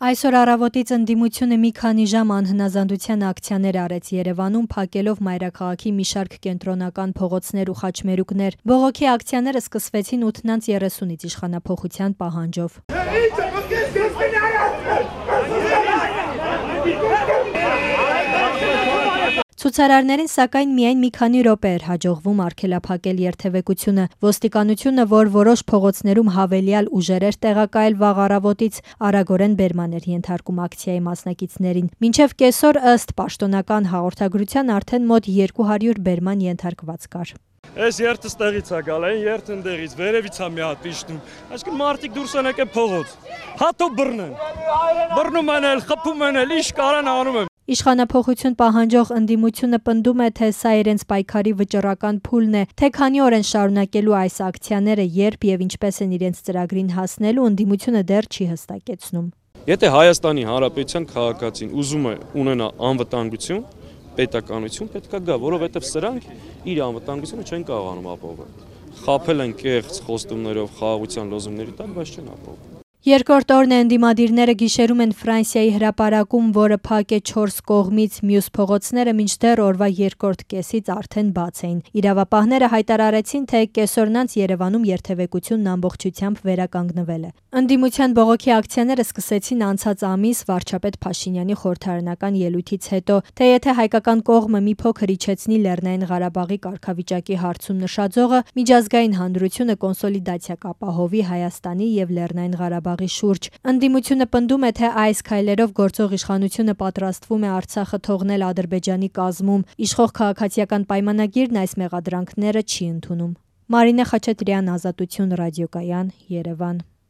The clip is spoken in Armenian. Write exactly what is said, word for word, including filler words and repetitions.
Այսօր առավոտից ընդդիմությունը մի քանի ժամ անհնազանդության ակցիաներ արեց Երևանում, փակելով մայրաքաղաքի մի շարք կենտրոնական փողոցներ ու խաչմերուկներ։ Բողոքի ակցիաները սկսվեցին ութ երեսունից իշխանափոխության պահանջով։ Ցուցարարներին սակայն միայն մի քանի րոպե էր հաջողվում արգելափակել երթևեկությունը։ Ոստիկանությունը, որ որոշ փողոցներում հավելյալ ուժեր էր տեղակայել վաղ առավոտից, արագորեն բերման էր ենթարկում ակցիայի մասնակիցներին։ Մինչև կեսօր, ըստ պաշտոնական հաղորդագրության, արդեն մոտ երկու հարյուր բերման ենթարկված կար։ Այս երթը ստեղից է գալ, այն երթը ընդեղից, վերևից է մի հատ իջնում։ Այսինքն մարդիկ դուրս են եկել փողոց։ Հատո բռնեն։ Բռնում են էլ, խփում են էլ, ինչ կարան անում են։ Իշխանափոխություն պահանջող ընդդիմությունը պնդում է, թե սա իրենց պայքարի վճռական փուլն է, թե քանի օր են շարունակելու այս ակցիաները, երբ եւ ինչպես են իրենց ծրագրին հասնելու, ընդդիմությունը դեռ չի հստակեցնում։ Եթե Հայաստանի Հանրապետության քաղաքացին ուզում է ունենալ անվտանգություն, պետականություն, պետք է գա, որովհետեւ սրանք իր անվտանգությունը չեն կարողանում ապահովել։ Խաբել են կեղծ խոստումներով, խաղաղության լոզունգների տակ, բայց չեն ապահովել։ Երկրորդ օրն է ընդդիմադիրները գիշերում են Ֆրանսիայի հրապարակում, որը փակ է չորս կողմից, մյուս փողոցները մինչդեռ օրվա երկրորդ կեսից արդեն բաց էին։ Իրավապահները հայտարարեցին, թե կեսօրն անց Երևանում երթևեկությունն ամբողջությամբ վերականգնվել է։ Ընդդիմության բողոքի ակցիաները սկսեցին անցած ամիս վարչապետ Փաշինյանի խորհրդարանական ելույթից հետո, թե եթե հայկական կողմը մի փոքր իջեցնի Լեռնային Ղարաբաղի կարգավիճակի հարցում նշաձողը, միջազգային հանրությունը կոնսոլիդացիա կապահովի Հայաստանի եւ Լեռնային Ղարաբաղի շուրջ։ Ընդդիմությունը պնդում է, թե այս քայլերով գործող իշխանությունը պատրաստվում է Արցախը թողնել Ադրբեջանի կազմում։ Իշխող քաղաքացիական պայմանագիրն այս մեղադրանքները չի ընդունում։ Մարինե Խաչատրյան, Ազատություն ռադիոկայան, Երևան։